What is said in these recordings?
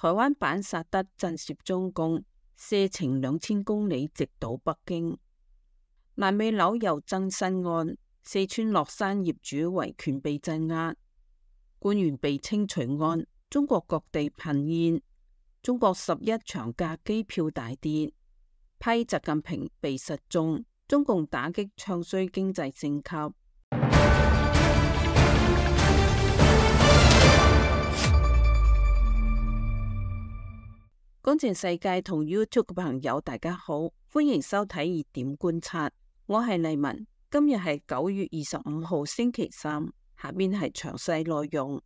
台灣版薩德震懾中共，射程2000公里直搗北京。爛尾樓又增新案，四川樂山業主維權被鎮壓，官員被清除案，中國各地頻現。中國11長假機票大跌，批習近平被失蹤，中共打擊唱衰經濟升級。觀戰世界同 YouTube 嘅朋友大家好，歡迎收睇熱點觀察，我係麗文。今日係9月25號星期三，下面係詳細內容。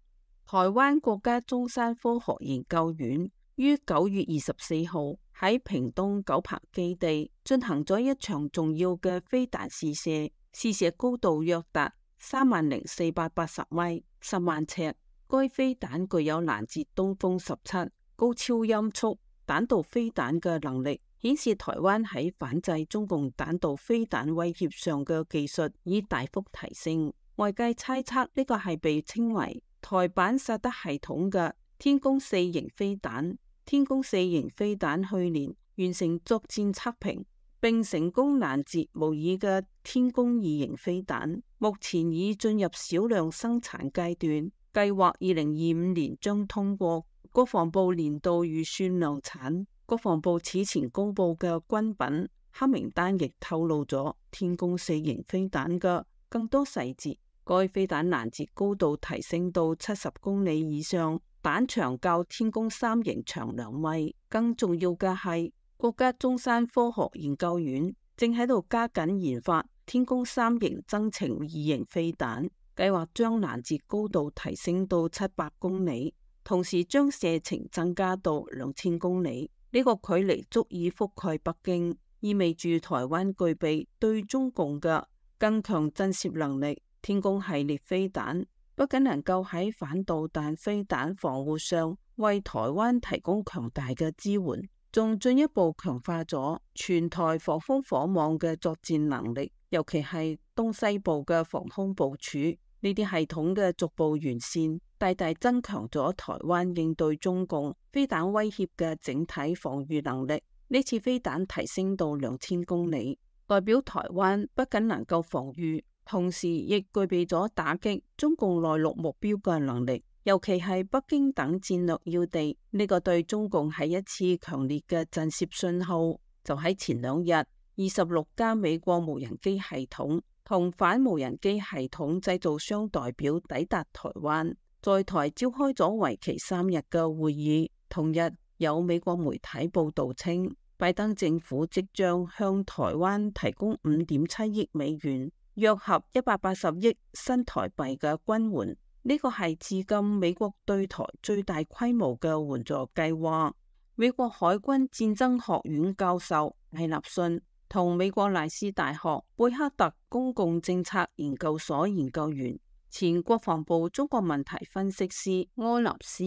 台灣國家中山科學研究院於9月24號喺屏東九鵬基地進行咗一場重要嘅飛彈試射，試射高度約達30,480米，10萬尺。該飛彈具有攔截東風17高超音速彈道飛彈嘅能力，顯示台灣喺反制中共彈道飛彈威脅上嘅技術已大幅提升。外界猜測呢個係被稱為台版薩德系統嘅天宮4型飛彈。天宮4型飛彈去年完成作戰測評，並成功攔截模擬嘅天宮2型飛彈，目前已進入少量生產階段，計劃2025年將通過國防部年度預算量產。國防部此前公布嘅軍品黑名單亦透露咗天宮4型飛彈嘅更多細節。該飛彈攔截高度提升到70公里以上，彈長較天宮3型長2米。更重要嘅係，國家中山科學研究院正喺度加緊研發天宮3型增程2型飛彈，計劃將攔截高度提升到700公里。同時將射程增加到2000公里，呢個距離足以覆蓋北京，意味住台灣具備對中共嘅更強震懾能力。天宮系列飛彈不僅能夠喺反導彈飛彈防護上為台灣提供強大嘅支援，仲進一步強化咗全台防空火網嘅作戰能力，尤其係東西部嘅防空部署。呢啲系統嘅逐步完善，大大增強咗台灣應對中共飛彈威脅嘅整體防禦能力。呢次飛彈提升到2000公里，代表台灣不僅能夠防禦，同時亦具備咗打擊中共內陸目標嘅能力，尤其係北京等戰略要地。呢個對中共係一次強烈嘅震懾信號。就喺前2日，26家美國無人機系統同反無人機系統製造商代表抵達台灣，在台召開咗為期3日嘅會議。同日，有美國媒體報道稱，拜登政府即將向台灣提供5.7億美元，約合180億新台幣嘅軍援。呢個係至今美國對台最大規模嘅援助計劃。美國海軍戰爭學院教授艾納遜同美國賴斯大學貝克特公共政策研究所研究員、前國防部中國問題分析師柯納斯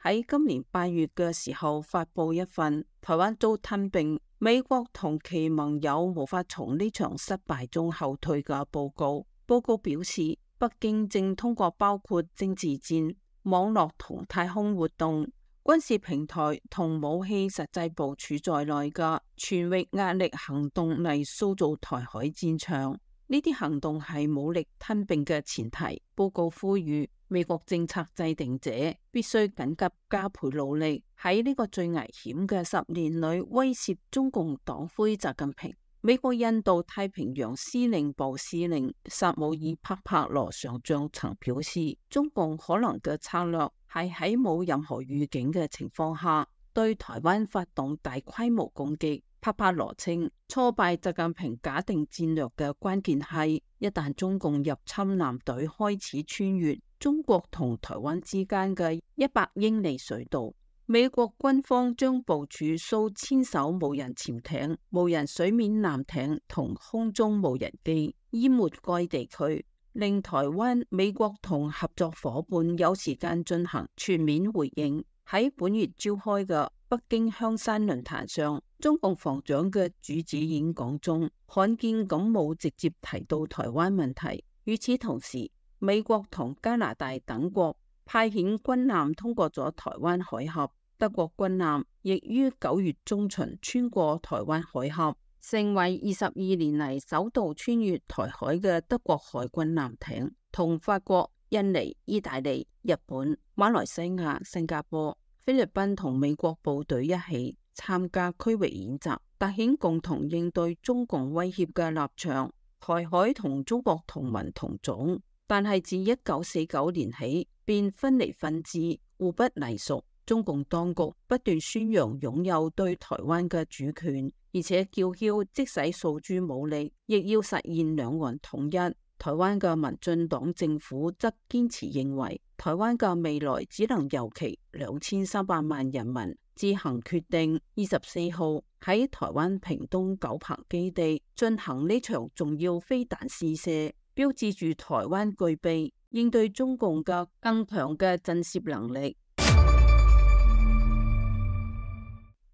喺今年8月嘅時候發布一份台灣遭吞併，美國同其盟友無法從呢場失敗中後退嘅報告。報告表示，北京正通過包括政治戰、網絡同太空活動、軍事平台同武器實際部署在內嘅全域壓力行動嚟塑造台海戰場。呢啲行動係武力吞併嘅前提。報告呼籲美國政策制定者必須緊急加倍努力，喺呢個最危險嘅10年裏威懾中共黨魁習近平。美國印度太平洋司令部司令薩姆爾帕帕羅上將曾表示，中共可能嘅策略係喺冇任何預警嘅情況下對台灣發動大規模攻擊。帕帕羅稱，挫敗習近平假定戰略嘅關鍵係，一旦中共入侵艦隊開始穿越中國同台灣之間嘅100英里水道，美國軍方將部署數千艘無人潛艇、無人水面艦艇同空中無人機，淹沒該地區，令台灣、美國同合作夥伴有時間進行全面回應。喺本月召開嘅北京香山論壇上，中共防長嘅主旨演講中，罕見咁冇直接提到台灣問題。與此同時，美國同加拿大等國派遣軍艦通過咗台灣海峽。德國軍艦亦於9月中旬穿過台灣海峽，成為22年嚟首度穿越台海嘅德國海軍艦艇，同法國、印尼、意大利、日本、馬來西亞、新加坡、菲律賓同美國部隊一起參加區域演習，凸顯共同應對中共威脅嘅立場。台海同中國同文同種，但係自1949年起便分離分治，互不隸屬。中共當局不斷宣揚擁有對台灣嘅主權，而且叫囂即使訴諸武力，亦要實現兩岸統一。台灣嘅民進黨政府則堅持認為，台灣嘅未來只能由其2300萬人民自行決定。24號喺台灣屏東九鵬基地進行呢場重要飛彈試射，標誌住台灣具備應對中共嘅更強嘅震懾能力。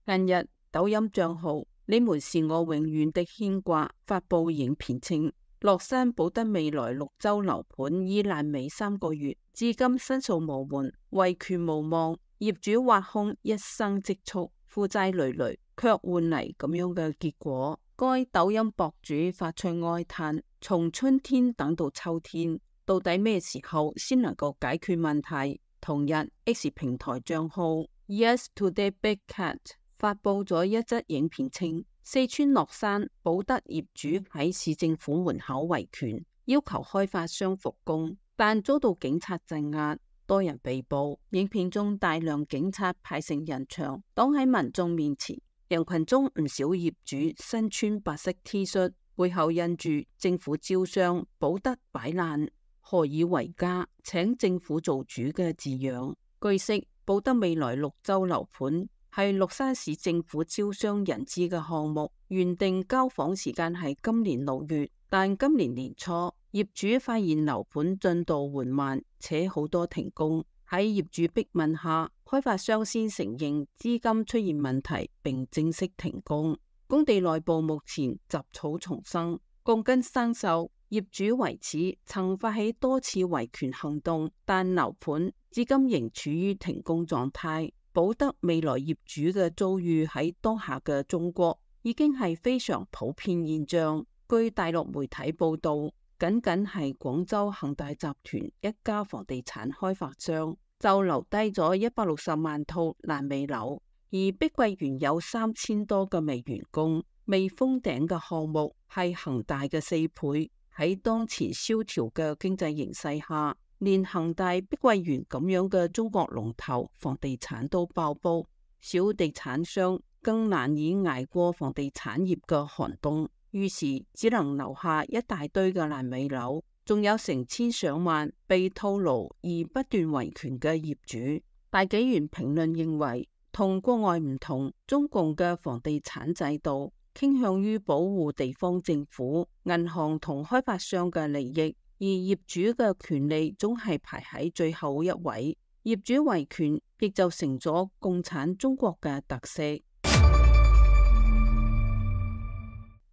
近日，抖音賬號你們是我永遠的牽掛發佈影片稱，樂山保德未來綠洲樓盤已爛尾3個月，至今申訴無門，維權無望，業主挖空一生積蓄，負債累累，卻換嚟咁樣嘅結果。該抖音博主發出哀嘆：從春天等到秋天，到底咩時候先能夠解決問題？同日 ，X 平台賬號 Yes Today Big Cat 發佈咗一則影片稱，四川樂山保德業主喺市政府門口維權，要求開發商復工，但遭到警察鎮壓，多人被捕。影片中大量警察排成人牆，擋喺民眾面前。人群中唔少業主身穿白色 T 恤，背後印住政府招商、保德擺爛、何以為家、請政府做主嘅字樣。據悉，保德未來綠洲樓盤係樂山市政府招商引資嘅項目，原定交房時間係今年6月，但今年年初業主發現樓盤進度緩慢，且好多停工。喺業主逼問下，開發商先承認資金出現問題，並正式停工。工地內部目前雜草叢生，鋼筋生鏽。業主為此曾發起多次維權行動，但樓盤至今仍處於停工狀態。保德未來業主嘅遭遇喺當下嘅中國已經係非常普遍現象。據大陸媒體報道，僅係廣州恒大集團一家房地產開發商就留低咗160萬套爛尾樓，而碧桂園有3000多個未完工、未封頂嘅項目，係恒大嘅4倍。喺當前蕭條嘅經濟形勢下，連恒大、碧桂園咁樣嘅中國龍頭房地產都爆煲，小地產商更難以捱過房地產業嘅寒冬，於是只能留下一大堆嘅爛尾樓，仲有成千上萬被套牢而不斷維權嘅業主。大紀元評論認為，同國外唔同，中共嘅房地產制度傾向於保護地方政府、銀行同開發商嘅利益，而業主嘅權利總係排喺最後一位。業主維權亦就成咗共產中國嘅特色。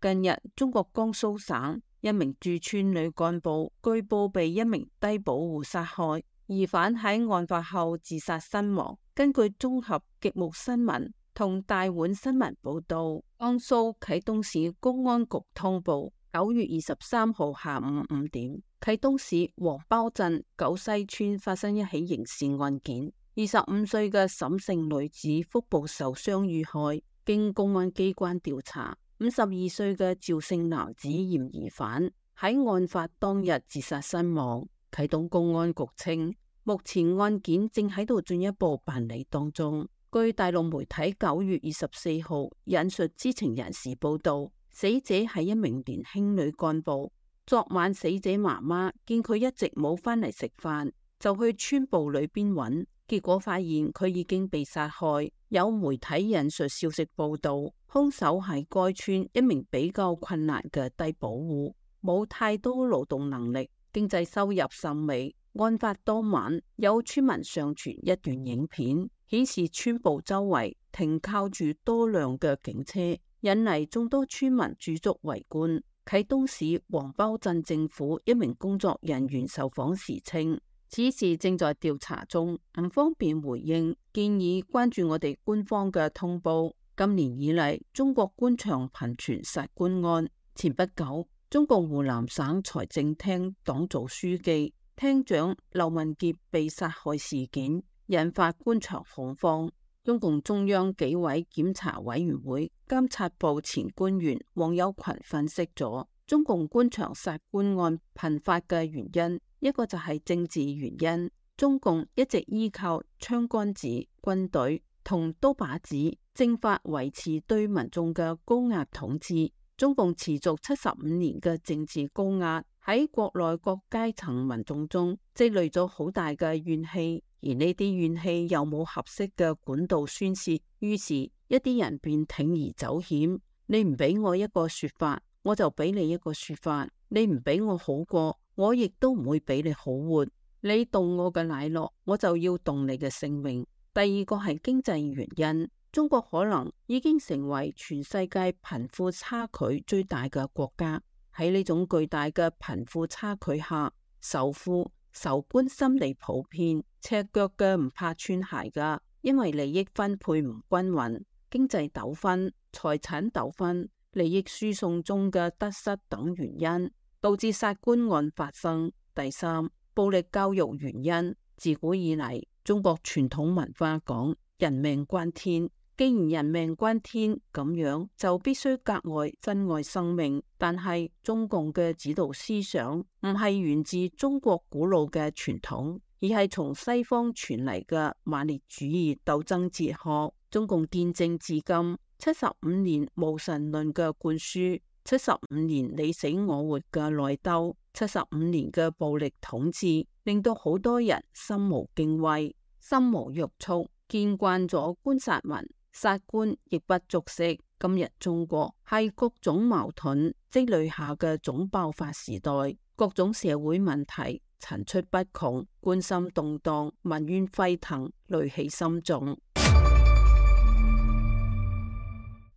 近日，中國江蘇省一名駐村女幹部據報被一名低保戶殺害，疑犯喺案發後自殺身亡。根據綜合極目新聞同大碗新聞報道，江蘇啟東市公安局通報，9月23號下午5點，啟東市黃包鎮九西村發生一起刑事案件，25歲嘅沈姓女子腹部受傷遇害，經公安機關調查，52歲嘅趙姓男子嫌疑犯喺案發當日自殺身亡。啟東公安局稱，目前案件正喺度進一步辦理當中。據大陸媒體9月24號引述知情人士報道，死者係一名年輕女幹部。昨晚死者媽媽見佢一直冇返嚟食飯，就去村部裏邊揾，結果發現佢已經被殺害。有媒體引述消息報道，兇手係該村一名比較困難嘅低保戶，冇太多勞動能力，經濟收入甚微。案發當晚，有村民上傳一段影片，顯示村部周圍停靠住多輛嘅警車，引嚟眾多村民駐足圍觀。啟東市黃包鎮政府一名工作人員受訪時稱，此事正在調查中，唔方便回應，建議關注我哋官方嘅通報。今年以嚟，中國官場頻傳殺官案。前不久，中共湖南省財政廳黨組書記、廳長劉文傑被殺害事件，引發官場恐慌。中共中央紀委檢查委員會監察部前官員王友群分析咗中共官場殺官案頻發嘅原因，一個就係政治原因。中共一直依靠槍桿子、軍隊同刀把子、政法維持對民眾嘅高壓統治。中共持續75年嘅政治高壓喺國內各階層民眾中積累咗好大嘅怨氣，而呢啲怨氣又冇合適嘅管道宣洩，於是一啲人便鋌而走險。你唔俾我一個說法，我就俾你一個說法；你唔俾我好過，我亦都唔會俾你好活。你動我嘅奶酪，我就要動你嘅性命。第二個係經濟原因，中國可能已經成為全世界貧富差距最大嘅國家。喺呢種巨大嘅貧富差距下，仇富仇官心理普遍，赤腳嘅唔怕穿鞋噶，因為利益分配唔均勻、經濟糾紛、財產糾紛、利益輸送中嘅得失等原因，導致殺官案發生。第三，暴力教育原因。自古以嚟，中國傳統文化講人命關天，既然人命關天，咁樣就必須格外珍愛生命。但係中共嘅指導思想唔係源自中國古老嘅傳統，而係從西方傳嚟嘅馬列主義鬥爭哲學。中共建政至今75年無神論嘅灌輸，75年你死我活嘅內鬥，75年嘅暴力統治，令到好多人心無敬畏、心無約束，見慣咗官殺民，殺官亦不足惜。今日中國係各種矛盾積累下嘅總爆發時代，各種社會問題層出不窮，軍心動盪，民怨沸騰，戾氣深重。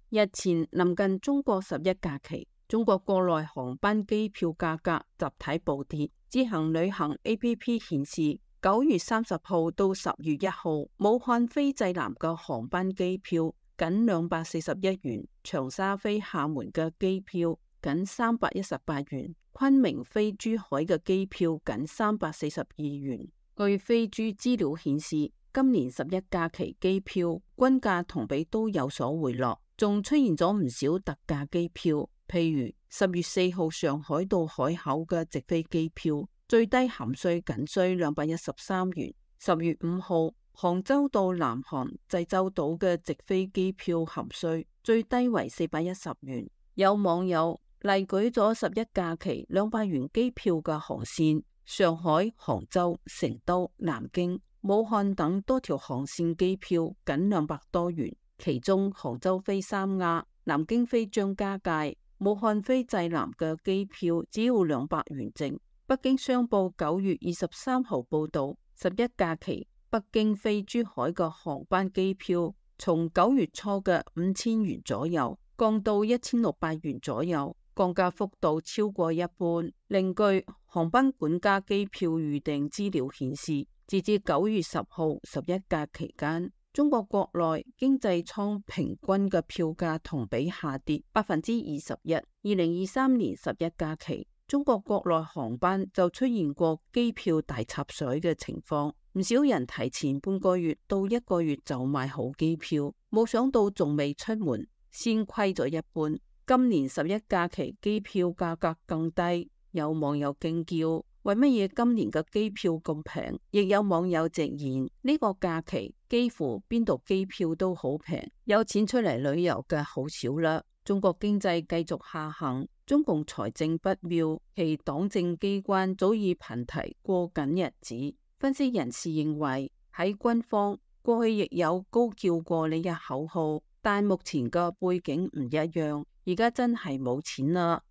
日前臨近中國11假期，中國國內航班機票價格集體暴跌。自行旅行 APP 顯示，9月30號到10月1號，武漢飛濟南嘅航班機票僅241元，長沙飛廈門嘅機票僅318元，昆明飛珠海嘅機票僅342元。據飛豬資料顯示，今年11假期機票均價同比都有所回落，仲出現咗唔少特價機票，譬如10月4號上海到海口嘅直飛機票，最低含稅僅需213元；10月5號杭州到南韓濟州島嘅直飛機票含稅最低為410元。有網友例舉咗11假期200元機票嘅航線，上海、杭州、成都、南京、武漢等多條航線機票僅200多元，其中杭州飛三亞、南京飛張家界、武漢飛濟南嘅機票只要200元整。北京商報9月23號報道，11假期北京飛珠海嘅航班機票從9月初嘅5000元左右降到1600元左右，降價幅度超過一半。另據航班管家機票預訂資料顯示，截至9月10號11假期間，中國國內經濟艙平均嘅票價同比下跌21%。2023年11假期，中國國內航班就出現過機票大插水嘅情況，唔少人提前半個月到1個月就買好機票，冇想到仲未出門先虧咗一半。今年11假期機票價格更低，有網友驚叫：為乜嘢今年嘅機票咁平？亦有網友直言：呢個假期幾乎邊度機票都好平，有錢出嚟旅遊嘅好少啦。中國經濟繼續下行，中共財政不妙，其黨政機關早已頻提過緊日子。分析人士認為，喺軍方過去亦有高叫過呢一口號，但目前嘅背景唔一樣，而家真係冇錢啦。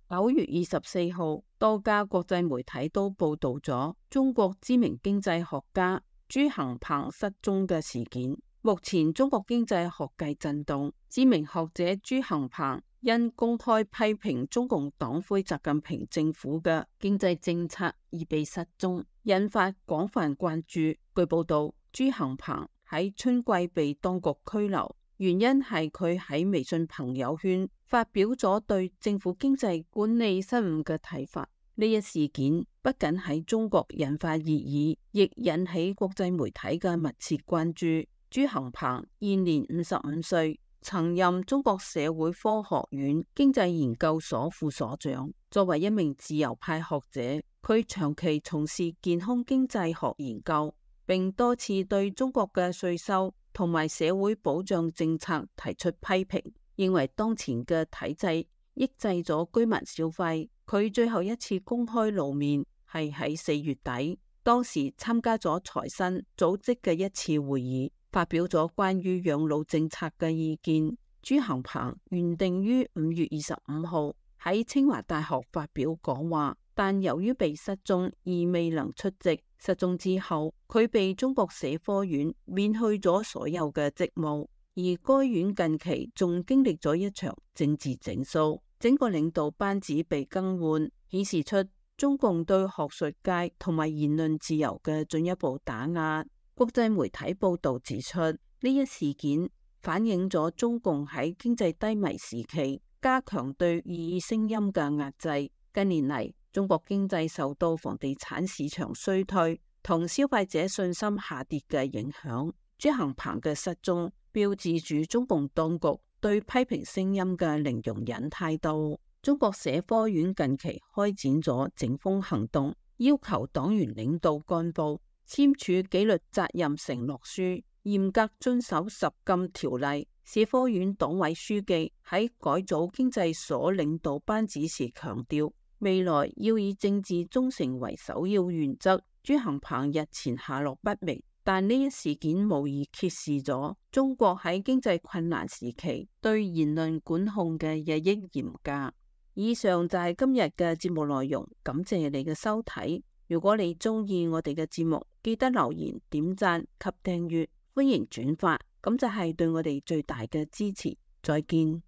9月24號，多家國際媒體都報道咗中國知名經濟學家朱恆鵬失蹤嘅事件。目前中國經濟學界震動，知名學者朱恆鵬因公開批評中共黨魁習近平政府嘅經濟政策而被失蹤，引發廣泛關注。據報道，朱恆鵬喺春季被當局拘留，原因係佢喺微信朋友圈發表咗對政府經濟管理失誤嘅睇法。呢一事件不僅喺中國引發熱議，亦引起國際媒體嘅密切關注。朱恆鵬現年55歲。曾任中國社會科學院經濟研究所副所長。作為一名自由派學者，佢長期從事健康經濟學研究，並多次對中國嘅稅收同埋社會保障政策提出批評，認為當前嘅體制抑制咗居民消費。佢最後一次公開露面係喺4月底，當時參加咗財新組織嘅一次會議，發表咗關於養老政策嘅意見。朱恆鵬原定於5月25號喺清華大學發表講話，但由於被失蹤而未能出席。失蹤之後，佢被中國社科院免去咗所有嘅職務，而該院近期仲經歷咗一場政治整肅，整個領導班子被更換，顯示出中共對學術界同埋言論自由嘅進一步打壓。國際媒體報道指出，呢一事件反映咗中共喺經濟低迷時期加強對異議聲音嘅壓制。近年嚟，中國經濟受到房地產市場衰退同消費者信心下跌嘅影響。朱恆鵬嘅失蹤標誌住中共當局對批評聲音嘅零容忍態度。中國社科院近期開展咗整風行動，要求黨員領導幹部簽署紀律責任承諾書，嚴格遵守十禁條例。社科院黨委書記喺改組經濟所領導班子時強調，未來要以政治忠誠為首要原則。朱恆鵬日前下落不明，但呢一事件無疑揭示咗中國喺經濟困難時期對言論管控嘅日益嚴格。以上就係今日嘅節目內容，感謝你嘅收睇。如果你中意我哋嘅節目，記得留言、點讚及訂閱，歡迎轉發，咁就係對我哋最大嘅支持。再見。